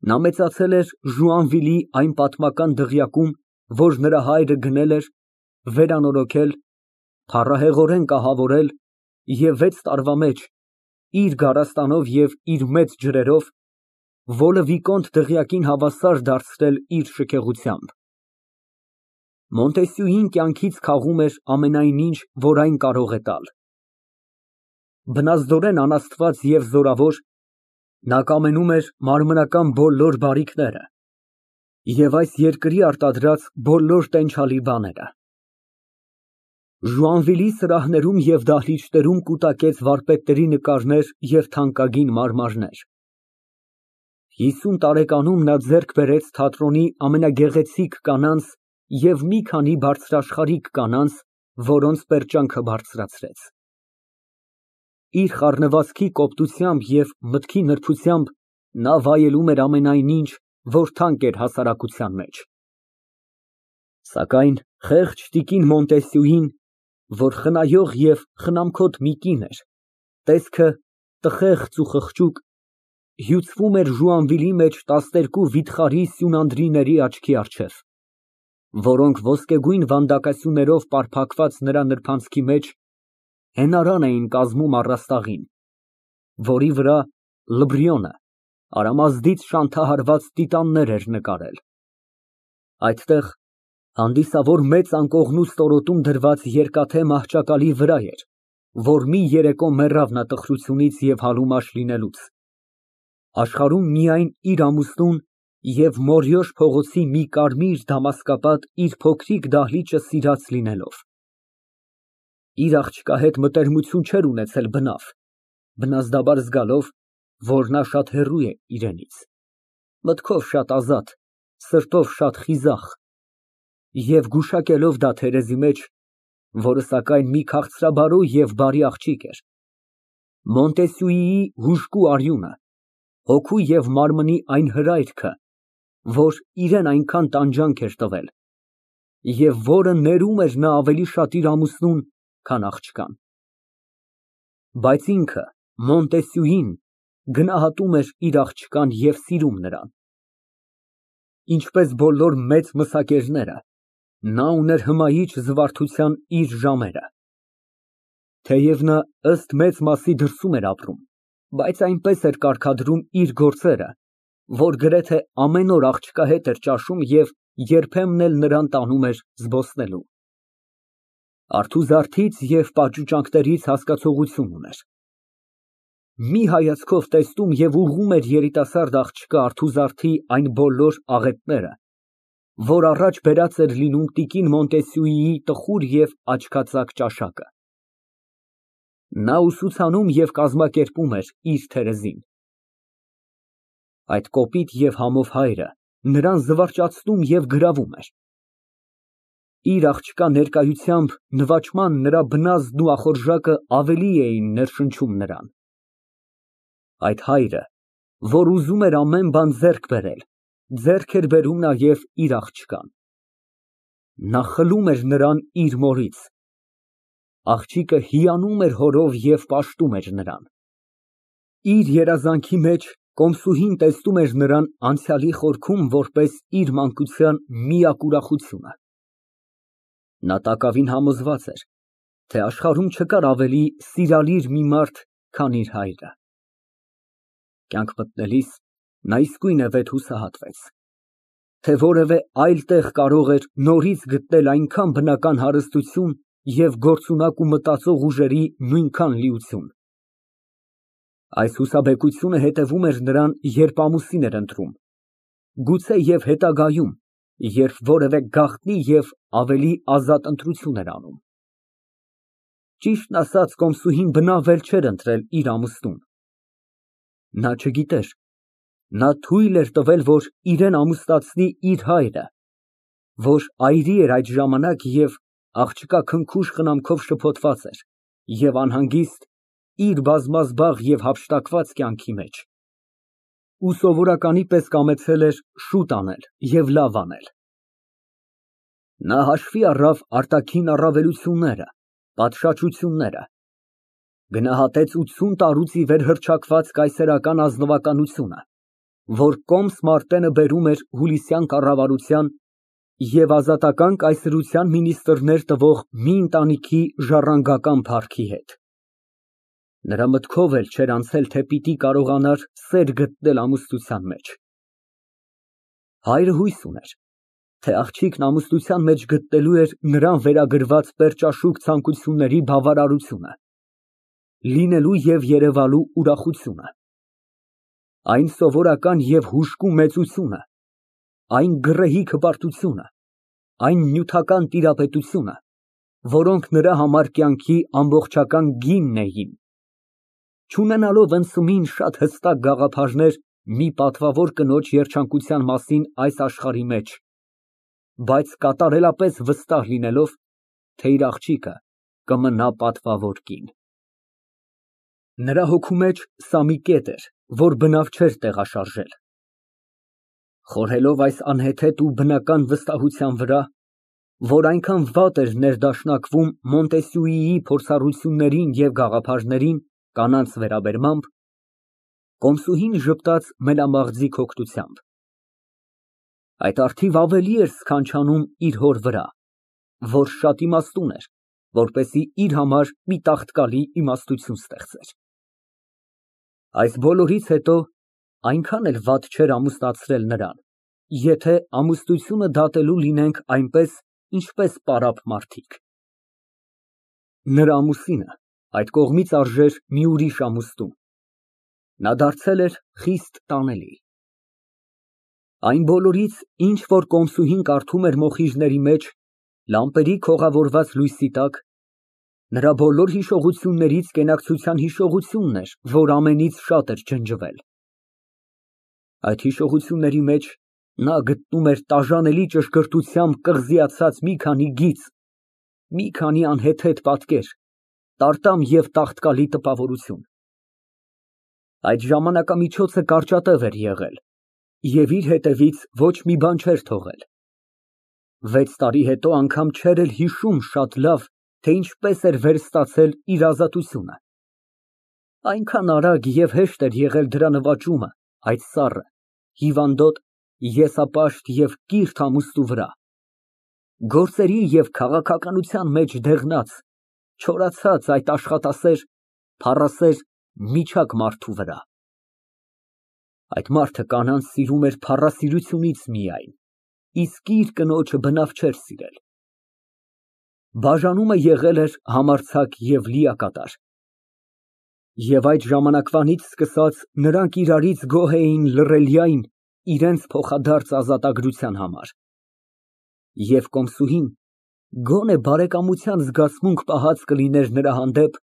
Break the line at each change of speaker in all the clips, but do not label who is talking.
Նա մեծացել էր Ժուանվիլի այն պատմական դղյակում, որ նրա հայրը գնել էր, վերանորոգել, փառահեղորեն կահավորել և 6 տարվա մեջ, իր գարաստանով և իր մեծ ջրերով, Վոլը Վիկոնտ դղյակին հավասար դարձրել իր շքեղությամբ։ Մոնտեսյուին կյանքից քաղում էր ամենայն ինչ, որ այն կարող է տալ։ Բնազդորեն անաստված և զորավոր, նա կամենում էր մարմնական բոլոր բարիքները և այս երկրի արտադրած բոլոր տենչալի բաները։ Ժուանվիլի սրահներում և դահլիճներում կուտակեց վարպետների նկարներ և թանկագին մարմարներ։ 50 տարեկանում նա ձեռք բերեց թատրոնի ամենագեղեցիկ կանանց և մի քանի բարձրաշխարհիկ կանանց, որոնց պերճանքը բարձրացրեց։ Իր խառնվածքի կոպտությամբ և մտքի նրբությամբ նա վայելում էր ամենայն ինչ, որ թանկ էր հասարակության մեջ։ Սակայն խեղճ տիկին Մոնտեսյուին, որ խնայող և խնամքոտ մի կին էր, տեսքը տխեղծ ու խղճուկ, հյուծվում էր Ժուանվիլի մեջ 12 վիթխարի սյունանդրիների աչքի առջև, որոնք ոսկեգույն վանդակասյուներով պարփակված նրա նրբանցքի մեջ հենարան էին կազմում առաստաղին, որի վրա Լբրիոնը արամազդից շանթահարված տիտաններ էր նկարել։ Այդտեղ հանդիսավոր մեծ անկողնու ստորոտում դրված երկաթե մահճակալի վրա էր, որ մի երեկո մեռավ նա տխրությունից և հալումաշ լինելուց, աշխարհում միայն իր ամուսնուն և Մորյոշ փողոցի մի կարմիր դամասկապատ իր փոքրիկ դահլիճը սիրած լինելով։ Իր աղջկա հետ մտերմություն չէր ունեցել բնավ, բնազդաբար զգալով, որ նա շատ հեռու է իրենից, մտքով շատ ազատ, սրտով շատ խիզախ և գուշակելով դա թերեզի մեջ, որը սակայն մի քաղցրաբարո և բարի աղջիկ էր, Մոնտեսյուիի հուժկու արյունը, հոգու և մարմնի այն հրայրքը, որ իրան այնքան տանջանք էր տվել և որը ներում էր նա ավելի շատ իր ամուսնուն, քան աղջկան։ Բայց ինքը, Մոնտեսյուին, գնահատում էր իր աղջկան և սիրում նրան։ Ինչպես բոլոր մեծ մսակերները, նա ուներ հմայիչ զվարթության իր ժամերը։ Թեև նա ըստ մեծ մասի դրսում էր ապրում, բայց այնպես էր կարգադրում իր գործերը, որ գրեթե ամեն օր աղջկա հետ էր ճաշում և երբեմն էլ նրան տանում էր զբոսնելու։ Արթուզարդից և պաճուճանքներից հասկացողություն ուներ։ Մի հայացքով տեսնում և ուղղում էր երիտասարդ աղջկա արթուզարդի այն բոլոր աղետները, որ առաջ բերած էր լինում տիկին Մոնտեսյուիի տխուր և աչքածակ ճաշակը։ Նա ուսուցանում և կազմակերպում էր իր թերեզին։ Այդ կոպիտ և համով հայրը նրան զվարճացնում և գրավում էր։ Իր աղջկա ներկայությամբ նվաճման նրա բնազդն ու ախորժակը ավելի էին ներշնչում նրան։ Այդ հայրը, որ ուզում էր ամեն բան ձեռք բերել, ձեռք էր բերում նաև իր աղջկան։ Նա խլում էր նրան իր մորից։ Աղջիկը հիանում էր հորով և պաշտում էր նրան։ Իր երազանքի մեջ կոմսուհին տեսնում էր նրան անցյալի խորքում որպես իր մանկության միակ ուրախությունը։ Նա տակավին համոզված էր, թե աշխարհում չկար ավելի սիրալիր մի մարդ, քան իր հայրը։ Կյանք մտնելիս նա իսկույնևեթ հուսահատվեց, թե որևէ այլ տեղ կարող էր նորից գտնել այնքան բնական հարստություն և գործունակ ու մտածող ուժերի նույնքան լիություն։ Այս հուսաբեկությունը հետևում էր նրան, երբ ամուսին էր ընտրում, գուցե և հետագայում, երբ որևէ գաղտնի և ավելի ազատ ընտրություն էր անում։ Ճիշտն ասած, կոմսուհին բնավ էլ չէր ընտրել իր ամուսնուն։ Նա չգիտեր, նա թույլ էր տվել, որ իրան ամուսնացնի իր հայրը, որ այրի էր այդ ժամանակ և աղջկա քնքուշ խնամքով շփոթված էր և անհանգիստ իր բազմազբաղ և հափշտակված կյանքի մեջ, ու սովորականի պես կամեցել էր շուտ անել և լավ անել։ Նա հաշվի առավ արտաքին առավելությունները, պատշաճությունները, գնահատեց 80 տարուց ի վեր հռչակված կայսերական ազնվականությունը, որ կոմս Մարտենը բերում էր Հուլիսյան կառավարության և ազատական կայսրության մինիստրներ տվող մի ընտանիքի ժառանգական փառքի հետ։ Նրա մտքով էլ չէր անցել, թե պիտի կարողանար սեր գտնել ամուսնության մեջ։ Հայրը հույս ուներ, թե աղջիկն ամուսնության մեջ գտնելու էր նրան վերագրված պերճաշուք ցանկությունների բավարարությունը, լինելու և երևալու ուրախությունը, այն սովորական և հուժկու մեծությունը, այն գռեհիկ հպարտությունը, այն նյութական տիրապետությունը, որոնք նրա համար կյանքի ամբողջական գինն էին, չունենալով ընդսումին շատ հստակ գաղափարներ մի պատվավոր կնոջ երջանկության մասին այս աշխարհի մեջ, բայց կատարելապես վստահ լինելով, թե իր աղջիկը կմնա պատվավոր կին։ Նրա հոգու մեջ սա մի կետ էր, որ բնավ չէր տեղաշարժել։ Խորհելով այս անհեթեթ ու բնական վստահության վրա, որ այնքան վատ էր ներդաշնակվում Մոնտեսյուիի փորձառություններին և գաղափարներին կանանց վերաբերմամբ, կոմսուհին ժպտաց մենամաղձի հոգնությամբ։ Այդ առթիվ ավելի էր սքանչանում իր հոր վրա, որ շատ իմաստուն էր, որպեսզի իր համար մի տաղտկալի իմաստություն ստեղծեր։ Այս բոլորից հետո այնքան էլ վատ չէր ամուսնացրել նրան, եթե ամուսնությունը դատելու լինենք այնպես, ինչպես պարապ մարդիկ։ Նրա ամուսինը այդ կողմից արժեր մի ուրիշ ամուսնու, նա դարձել էր խիստ տանելի։ Այն բոլորից, ինչ որ կոմսուհին կարդում էր մոխիրների մեջ, լամպերի քողավորված լույսի տակ, նրա բոլոր հիշողություններից կենակցության հիշողությունն էր, որ ամենից շատ էր ջնջվել։ Այդ հիշողությունների մեջ նա գտնում էր տաժանելի ճշգրտությամբ կղզիացած մի քանի գիծ, մի քանի անհեթեթ պատկեր, տարտամ և տաղտկալի տպավորություն։ Այդ ժամանակամիջոցը կարճատև էր եղել և իր հետևից ոչ մի բան չէր թողել։ 6 տարի հետո անգամ չէր էլ հիշում շատ լավ, թե ինչպես էր վերստացել իր ազատությունը։ Այնքան արագ և հեշտ էր եղել դրա նվաճումը այդ սառը, հիվանդոտ, եսապաշտ և կիրթ ամուսնու վրա, գործերի և քաղաքականության մեջ դեղնած, չորացած այդ աշխատասեր, փառասեր, միչակ մարդու վրա։ Այդ մարդը կանանց սիրում էր փառասիրությունից միայն, իսկ իր կնոջը բնավ չէր սիրել։ Բաժանումը եղել էր համարձակ և լիակատար։ Եվ այդ ժամանակվանից սկսած նրանք իրարից գոհ էին լռելյայն իրենց փոխադարձ ազատագրության համար։ Եվ կոմսուհին գոնե բարեկամության զգացմունք պահած կլիներ նրա հանդեպ,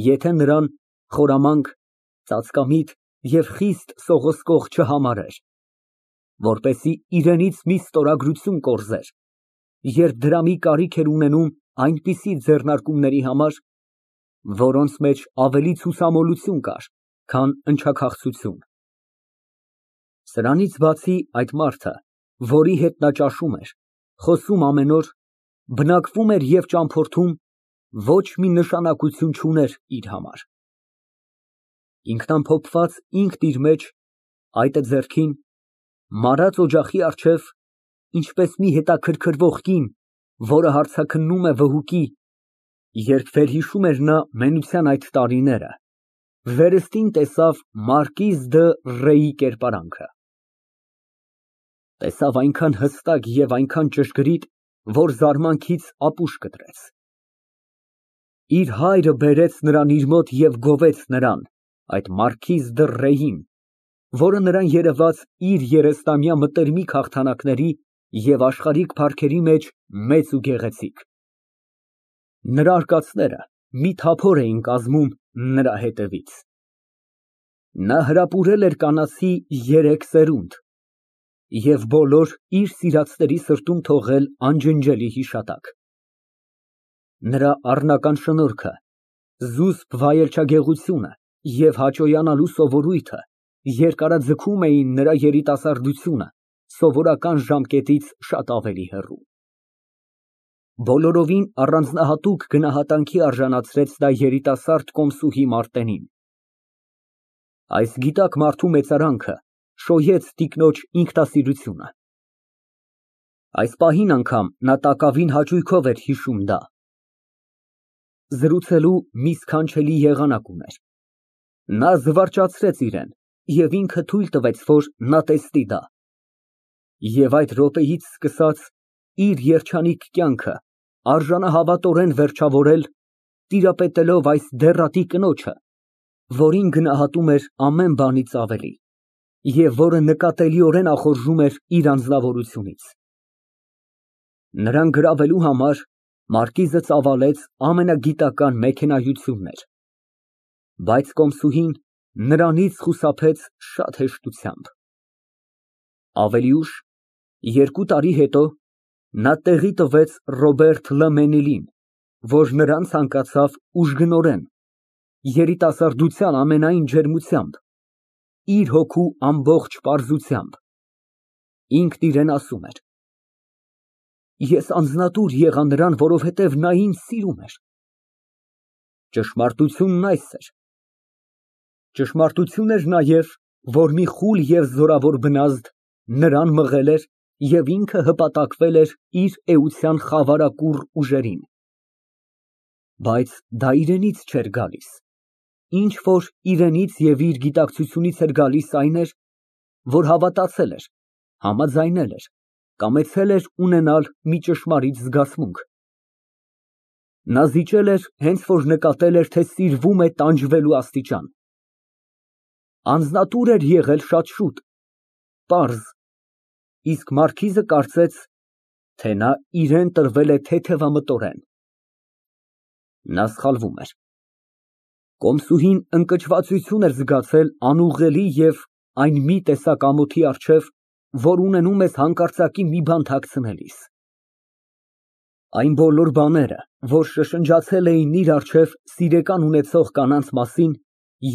եթե նրան խորամանկ, ծածկամիտ և խիստ սողոսկող չհամարեր, որպեսզի իրենից մի ստորագրություն կորզեր, երբ դրամի կարիք էր ունենում այնպիսի ձեռնարկումների համար, որոնց մեջ ավելի ցուսամոլություն կար, քան ընչաքաղցություն։ Սրանից բացի այդ մարդը, որի հետ նա ճաշում էր, խոսում ամեն օր, բնակվում էր և ճամփորդում, ոչ մի նշանակություն չուներ իր համար։ Ինքնամփոփված ինքն իր մեջ, այտը ձեռքին, մարած օջախի առջև, ինչպես մի հետաքրքրվող կին, որը հարցաքննում է վհուկի, երբ վերհիշում էր նա մենության այդ տարիները, վերստին տեսավ մարկիզ Ռեյի կերպարանքը։ Տեսավ այնքան հստակ և այնքան ճշգրիտ, որ զարմանքից ապուշ կտրեց։ Իր հայրը բերեց նրան իր մոտ և գովեց նրան, այդ մարկիզ Ռեյին, որը նրան երևաց իր երեստամյա մտերմիկ հաղթանակների և աշխարհիկ փառքերի մեջ մեծ ու գեղեցիկ։ Նրա արկածները մի թափոր էին կազմում նրա հետևից։ Նա հրապուրել էր կանացի 3 սերունդ և բոլոր իր սիրածների սրտում թողել անջնջելի հիշատակ։ Նրա առնական շնորհքը, զուսպ վայելչագեղությունը և հաճոյանալու սովորույթը երկարաձգում էին նրա երիտասարդությունը սովորական ժամկետից շատ ավելի հեռու։ Բոլորովին առանձնահատուկ գնահատանքի արժանացրեց դա երիտասարդ կոմսուհի Մարտենին։ Այս գիտակ մարդու մեծարանքը շոյեց տիկնոջ ինքնասիրությունը։ Այս պահին անգամ նա տակավին հաճույքով էր հիշում դա։ Զրուցելու մի սքանչելի եղանակ ուներ։ Նա զվարճացրեց իրան և ինքը թույլ տվեց, որ նա տեսնի դա։ Եվ այդ րոպեից սկսած իր երջանիկ կյանքը արժանահավատորեն վերջավորել, տիրապետելով այս դեռատի կնոջը, որին գնահատում էր ամեն բանից ավելի և որը նկատելիորեն ախորժում էր իր անձնավորությունից։ Նրան գրավելու համար մարկիզը ծավալեց ամենագիտական մեքենայություններ, բայց կոմսուհին նրանից խուսափեց շատ հեշտությամբ։ Ավելի ուշ, 2 տարի հետո, նա տեղի տվեց Ռոբերտ Լըմենիլին, որ նրան ցանկացավ ուժգնորեն, երիտասարդության ամենայն ջերմությամբ, իր հոգու ամբողջ պարզությամբ։ Ինքն իրեն ասում էր. «Ես անձնատուր եղա նրան, որովհետև նա ինձ սիրում էր»։ Ճշմարտությունն այս էր։ Ճշմարտություն էր նաև, որ մի խուլ և զորավոր բնազդ նրան մղել էր և ինքը հպատակվել էր իր էության խավարակուռ ուժերին։ Բայց դա իրենից չէր գալիս, ինչ որ իրենից և իր գիտակցությունից էր գալիս այն էր, որ հավատացել էր, համաձայնել էր, կամեցել էր ունենալ մի ճշմարիտ զգացմունք։ Նա զիջել էր, հենց որ նկատել էր, թե սիրվում է տանջվելու աստիճան։ Անձնատուր էր եղել շատ շուտ, պարզ, իսկ մարքիզը կարծեց, թե նա իրան տրվել է թեթևամտորեն։ Նա սխալվում էր։ Կոմսուհին ընկճվածություն էր զգացել անուղղելի և այն մի տեսակ ամոթի առջև, որ ունենում ես հանկարծակի մի բան թաքցնելիս։ Այն բոլոր բաները, որ շշնջացել էին իր առջև սիրեկան ունեցող կանանց մասին,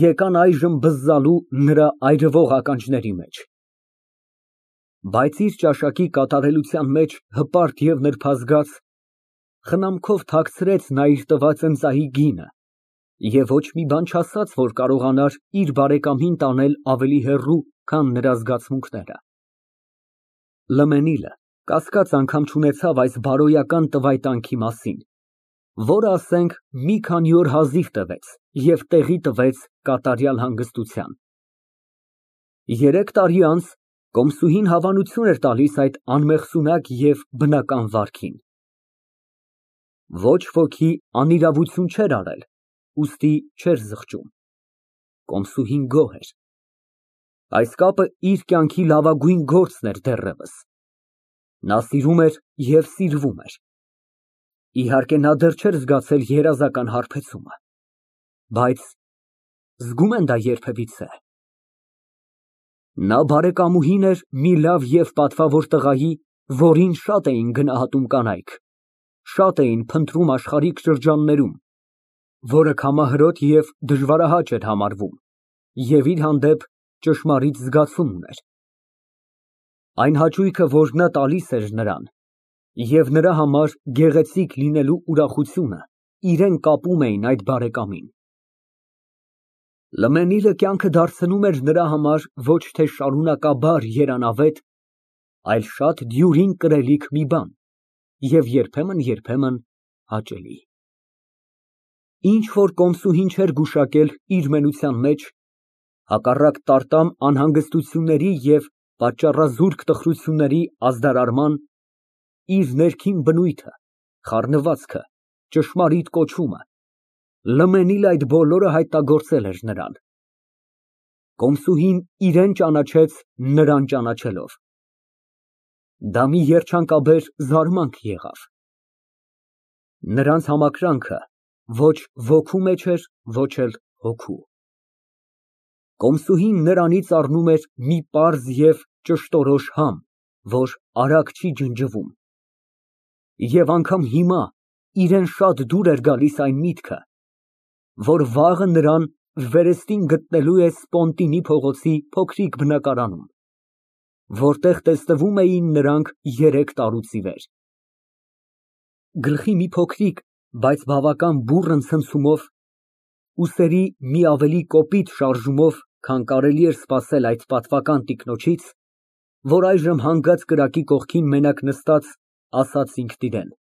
եկան այժմ բզզալու նրա այրվող ականջների մեջ։ Բայց իր ճաշակի կատարելության մեջ հպարտ և նրբազգաց, խնամքով թաքցրեց նա իր տված ընծայի գինը և ոչ մի բան չասաց, որ կարողանար իր բարեկամին տանել ավելի հեռու, քան նրա զգացմունքները։ Լըմենիլը կասկած անգամ չունեցավ այս բարոյական տվայտանքի մասին, որը, ասենք, մի քանի օր հազիվ տևեց և տեղի տվեց կատարյալ հանգստության։ 3 տարի անց կոմսուհին հավանություն էր տալիս այդ անմեղսունակ և բնական վարքին։ Ոչ ոքի անիրավություն չէր արել, ուստի չէր զղջում։ Կոմսուհին գոհ էր։ Այս կապը իր կյանքի լավագույն գործն էր դեռևս։ Նա սիրում էր և սիրվում էր։ Իհարկե, նա դեռ չէր զգացել երազական հարբեցումը, բայց զգում են դա երբևիցե։ Նա բարեկամուհին էր մի լավ և պատվավոր տղայի, որին շատ էին գնահատում կանայք, շատ էին փնտրում աշխարհիկ շրջաններում, որը քամահրոտ և դժվարահաճ էր համարվում և իր հանդեպ ճշմարիտ զգացում ուներ։ Այն հաճույքը, որ նա տալիս էր նրան, և նրա համար գեղեցիկ լինելու ուրախությունը իրան կապում էին այդ բարեկամին։ Լըմենիլը կյանքը դարձնում էր նրա համար ոչ թե շարունակաբար երանավետ, այլ շատ դյուրին կրելիք մի բան և երբեմն հաճելի։ Ինչ որ կոմսուհին չէր գուշակել իր մենության մեջ, հակառակ տարտամ անհանգստությունների և պատճառազուրկ տխրությունների ազդարարման, իր ներքին բնույթը, խառնվածքը, ճշմարիտ կոչումը, Լըմենիլը այդ բոլորը հայտնագործել էր նրան։ Կոմսուհին իրան ճանաչեց նրան ճանաչելով։ Դա մի երջանկաբեր զարմանք եղավ։ Նրանց համակրանքը ոչ ոգու մեջ էր, ոչ էլ հոգու։ Կոմսուհին նրանից առնում էր մի պարզ և ճշտորոշ համ, որ արագ չի ջնջվում։ Եվ անգամ հիմա իրան շատ դուր էր գալիս այն միտքը, որ վաղը նրան վերստին գտնելու է Սպոնտինի փողոցի փոքրիկ բնակարանում, որտեղ տեսնվում էին նրանք 3 տարուց ի վեր։ Գլխի մի փոքրիկ, բայց բավական բուռն ցնցումով, ուսերի մի ավելի կոպիտ շարժումով քան կարելի էր սպասել այդ պատվական տիկնոջից, որ այժմ հանգած կրակի կողքին մենակ նստած, ասաց ինքն իրան.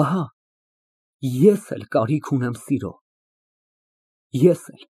«Ահա, ես էլ կարիք ունեմ սիրո, ես էլ։